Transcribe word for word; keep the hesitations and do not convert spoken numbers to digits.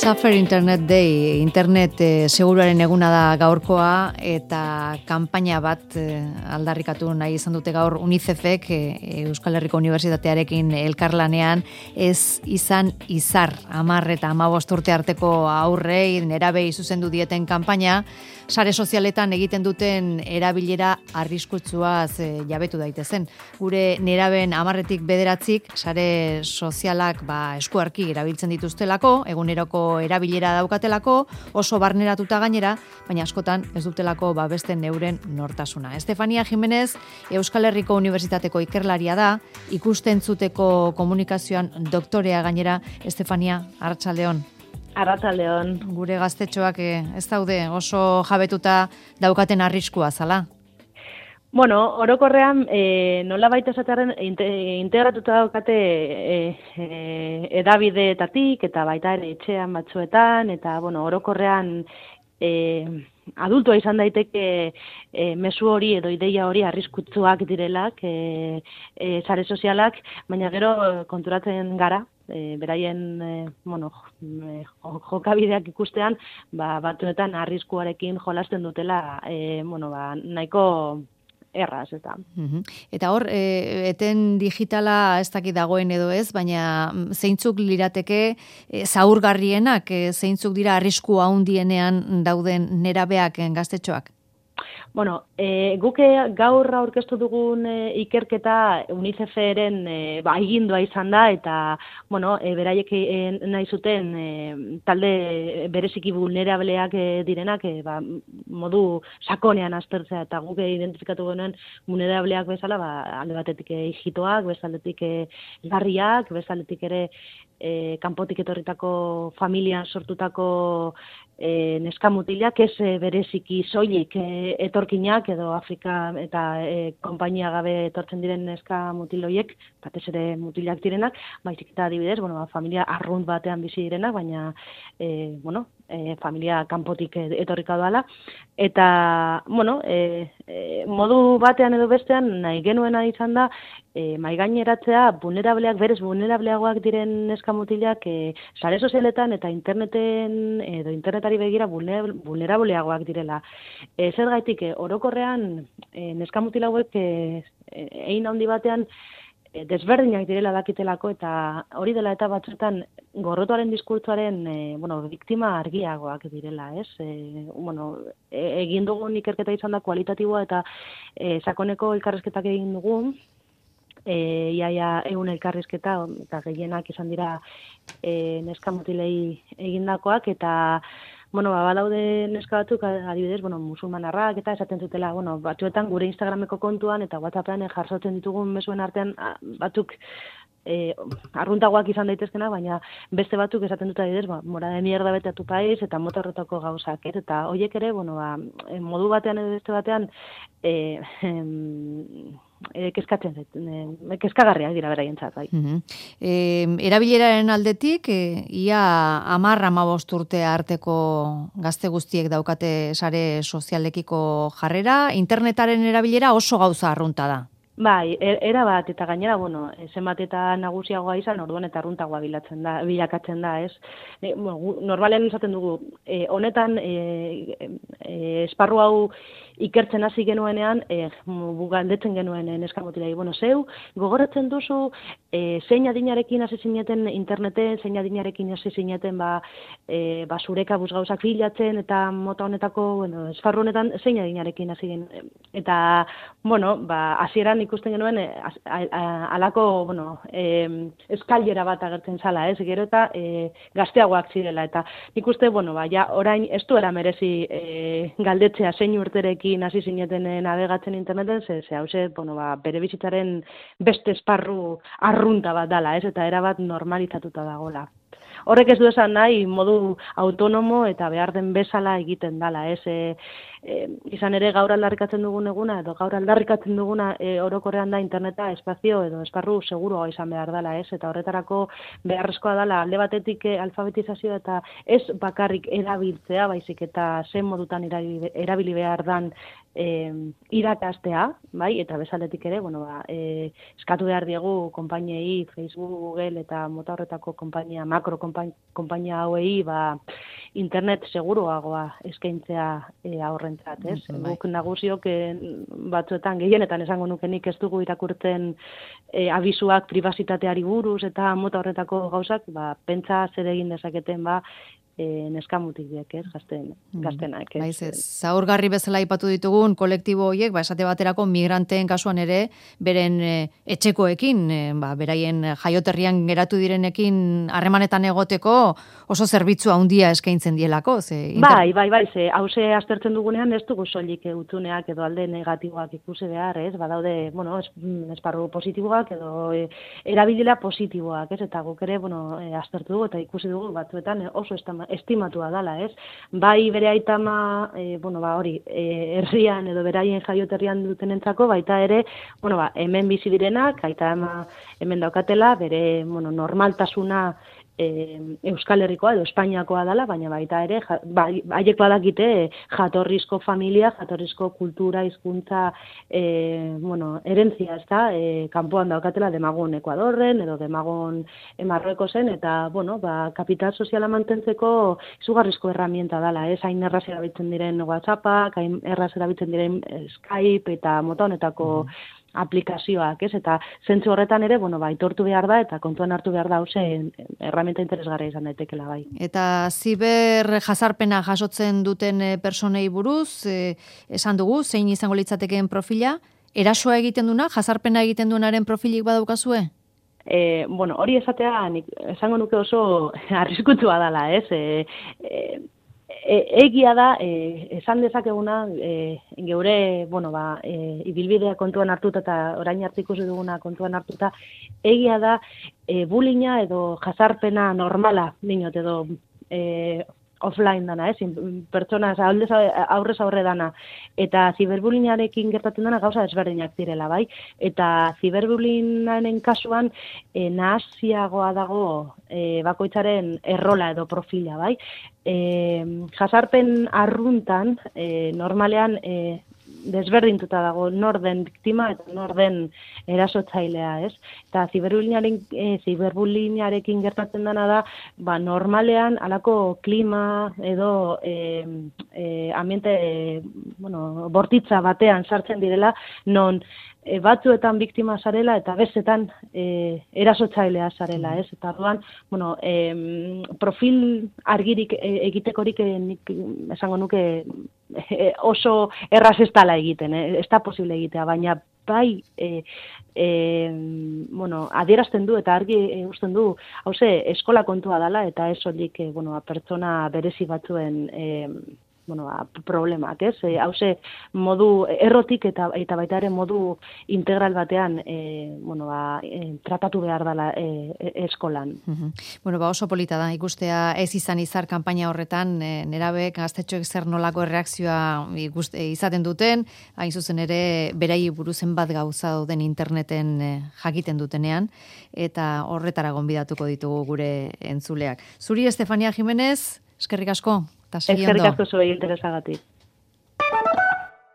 Safer Internet Day, internet e, seguruaren eguna da gaurkoa eta kanpaina bat e, aldarrikatu nahi izan dute gaur UNICEFek e, Euskal Herriko Unibertsitatearekin elkarlanean ez izan izar hamar eta hamabost urte arteko aurrei nerabei zuzendu dieten kanpaina sare sozialetan egiten duten erabilera arriskutsuaz e, jabetu daitezen. Gure nerabeen hamarretik bederatzik sare sozialak ba, eskuarki erabiltzen dituztelako, eguneroko erabilera daukatelako, oso barneratuta gainera, baina askotan ez dutelako babesten neuren nortasuna. Estefania Jimenez, Euskal Herriko Unibertsitateko ikerlaria da, ikustentzuteko komunikazioan doktorea gainera. Estefania, arratsaldeon. Arratsaldeon. Gure gaztetxoak ez daude oso jabetuta daukaten arriskua zala? Bueno, orokorrean e, nola baita esatearen integratuta daukate e, e, edabideetatik eta baita ere etxean batzuetan, eta bueno, orokorrean e, adultua izan daiteke e, mezu hori edo ideia hori arriskutsuak direlak e, e, sare sozialak, baina gero konturatzen gara, E, beraien e, bueno, e, jokabideak ikustean, ba, batzuetan arriskuarekin jolasten dutela e, bueno, ba, nahiko erraz, eta. Uh-huh. Eta hor, e, eten digitala ez dakit dagoen edo ez, baina zeintzuk lirateke e, zaurgarrienak, e, zeintzuk dira arrisku handienean dauden nerabeak gaztetxoak? Bueno, e, guke gaur aurkeztu dugun e, ikerketa UNICEFren e, ba, egindua izan da, eta bueno, e, beraiek e, nahi zuten e, talde bereziki vulnerableak e, direnak e, ba, modu sakonean aztertzea, eta guke identifikatu genuen vulnerableak bezala, ba, alde batetik e, hijitoak, bezaletik e, garriak, bezaletik ere e, kanpotik etorritako familian sortutako e, neskamutilak, ez e, bereziki soilik e, etorkinak edo Afrika eta e, konpainia gabe etortzen diren neska mutiloiek, batez ere mutilak direnak, baizik eta adibidez, bueno, familia arrunt batean bizi direnak, baina e, bueno, e, familia kanpotik etorrika doala, eta bueno, e, e, modu batean edo bestean nahi genuena izan da e, maigaineratzea vulnerableak, berez vulnerableagoak diren neska mutilak e, sare sozialetan eta interneten edo internetari begira vulnerableagoak direla. E, zer gaitik, e, orokorrean e, neska mutil hauek e, egin handi batean e, desberdinak direla dakitelako, eta hori dela eta batzuetan gorrotoaren diskurtsoaren e, bueno, biktima argiagoak direla, ez? E, bueno, e, egin dugun ikerketa izan da kualitatiboa eta e, sakoneko elkarrizketak egin dugun, E, iaia egun elkarrizketa, eta gehienak izan dira e, neska mutilei egindakoak, eta bueno, ba, badaude neska batzuk, adibidez, bueno, musulmanarrak, eta esaten zutela, bueno, batzuetan gure Instagrameko kontuan eta WhatsAppean jartzen ditugun mezuen artean batzuk e, arruntagoak izan daitezkena, baina beste batzuk esaten dut adibidez, ba, mora de mierda bete a tu país, eta mota horretako gauzak, et? Eta horiek ere, bueno, ba, modu batean edo beste batean, e, em, E, kezkatzen zait, e, kezkagarriak dira beraientzat, bai. Uh-huh. E, erabileraren aldetik, e, ia hamar hamabost urte arteko gazte guztiek daukate sare sozialekiko jarrera, internetaren erabilera oso gauza arrunta da. Bai, era bat, eta gainera, bueno, zenbat eta nagusiagoa izan, orduan eta arruntagoa bilatzen da, bilakatzen da, ez? E, bueno, normalen esaten dugu, e, honetan, e, e, esparru hau ikertzen hasi genuenean, e, galdetzen genuen neska mutilei, bueno, zeu, gogoratzen duzu, e, zein adinarekin hasi zineten interneten, zein adinarekin hasi zineten, ba, e, ba, zureka gauzak bilatzen, eta mota honetako, bueno, esparru honetan, zein adinarekin hasi genuen. Eta, bueno, ba, hasieran ikusten genuen, e, alako, bueno, e, eskailera bat agertzen zala, ez, gero eta e, gazteagoak zirela, eta nik uste, bueno, ba, ja, orain ez duela merezi e, galdetzea zein urterekin hasi zineten navegatzen interneten, ze, ze hause, bueno, ba, bere bizitzaren beste esparru arrunta bat dala, ez, eta erabat normalizatuta dagoela. Horrek ez du esan nahi modu autonomo eta behar den bezala egiten dala, ez, e, e, izan ere gaur aldarrikatzen dugun eguna, edo gaur aldarrikatzen duguna e, orokorrean da interneta espazio edo esparru seguroa izan behar dela, ez? Eta horretarako beharrezkoa dela alde batetik e, alfabetizazioa eta ez bakarrik erabiltzea, baizik eta zen modutan erabili, erabili behar dan e, irakastea, bai, eta bezaletik ere, bueno, ba, e, eskatu behar diegu konpainiei, Facebook, Google eta mota horretako konpainia, makro konpainia hauei, ba, internet seguruagoa eskaintzea e, aurrentzat, ez? Mm, bai. Guk nagusiok e, batzuetan gehienetan esango nukenik ez dugu irakurtzen e, abisuak pribazitateari buruz eta mota horretako gauzak, ba, pentsa zer egin dezaketen, ba, E, neskamutik diek, ez, gazten, gaztenak. Ez. Baiz, ez, zaurgarri bezala aipatu ditugun kolektibo horiek, ba, esate baterako migranteen kasuan ere, beren e, etxekoekin, e, ba, beraien jaioterrian geratu direnekin harremanetan egoteko oso zerbitzu handia eskaintzen dielako. Ze, inter... Bai, bai, bai, ze, hause aztertzen dugunean ez dugu soilik utzuneak edo alde negatiboak ikusi behar, ez, badaude, bueno, es, esparru positiboak edo e, erabilila positiboak, ez, eta guk ere, bueno, e, aztertu dugu eta ikusi dugu batzuetan e, oso estama estimatua dala, ez? Bai bere aitama, e, bueno, ba, hori, e, herrian edo beraien jaioterrian dutenentzako, baita ere, bueno, ba, hemen bizi direnak, aitama hemen daukatela, bere, bueno, normaltasuna E, Euskal Herrikoa edo Espainiakoa dela, baina baita ere, ja, ba, haiek badakite jatorrizko familia, jatorrizko kultura, hizkuntza, e, bueno, erentzia, ez da, e, kanpoan daukatela demagun Ekuadorren, edo demagun Marruekosen, eta, bueno, ba, kapital soziala mantentzeko izugarrizko herramienta dela, ez, hain erraz erabiltzen diren WhatsAppak, hain erraz erabiltzen diren Skype, eta mota honetako mm. aplikazioak, ez? Eta zentzu horretan ere, bueno, ba, aitortu behar da eta kontuan hartu behar da hause erramenta interesgarria izan daitekela bai. Eta ziber jazarpena jasotzen duten personei buruz, eh, esan dugu, zein izango litzatekeen profila, erasoa egiten duna, jazarpena egiten duenaren profilik badaukazue? E, bueno, hori esatea, nik, esango nuke oso arriskutsua dela, ez? E, e, E, egia da, e, esan dezakeguna, e, geure, bueno, ba, e, ibilbidea kontuan hartuta eta orain arte ikusi duguna kontuan hartuta, egia da, e, bullyinga edo jazarpena normala, dinot, edo e, offline dana, ez, pertsona aurrez aurre dana, eta ziberbullyingarekin gertatzen dana gauza desberdinak direla, bai, eta ziberbullyingaren kasuan e, nahasiagoa dago e, bakoitzaren errola edo profila, bai, e, jazarpen arruntan, e, normalean, e, desberdintuta dago nor den biktima eta nor den erasotzailea, ez? Eta ziberbullyingaren e, ziberbullyingarekin gertatzen dena da, ba normalean halako klima edo e, e, ambiente e, bueno, bortitza batean sartzen direla non e, batzuetan biktima zarela eta bestetan e, erasotzailea zarela, ez? Eta orduan, bueno, e, profil argirik e, egitekorik e, nik esango nuke e, oso erraz ez dala egiten, eh? Ez da posible egitea, baina bai e, e, bueno, adierazten du eta argi e, usten du, hauze, eskola kontua dela eta ez soilik e, bueno, pertsona berezi batzuen e, bueno, problemak, ez? E, hauze, modu errotik eta eta baita ere modu integral batean e, bueno, ba, e, tratatu behar dela e, e, eskolan. Uh-huh. Bueno, ba oso polita da ikustea ez izan izar kanpaina horretan, e, nerabek gaztetxoek zer nolako erreakzioa ikuste, izaten duten, hain zuzen ere berai buruzen bat gauza dauden interneten e, jakiten dutenean, eta horretara gonbidatuko ditugu gure entzuleak. Zuri, Estefania Jimenez, eskerrik asko. Eskerrik asko zuei interesagatik.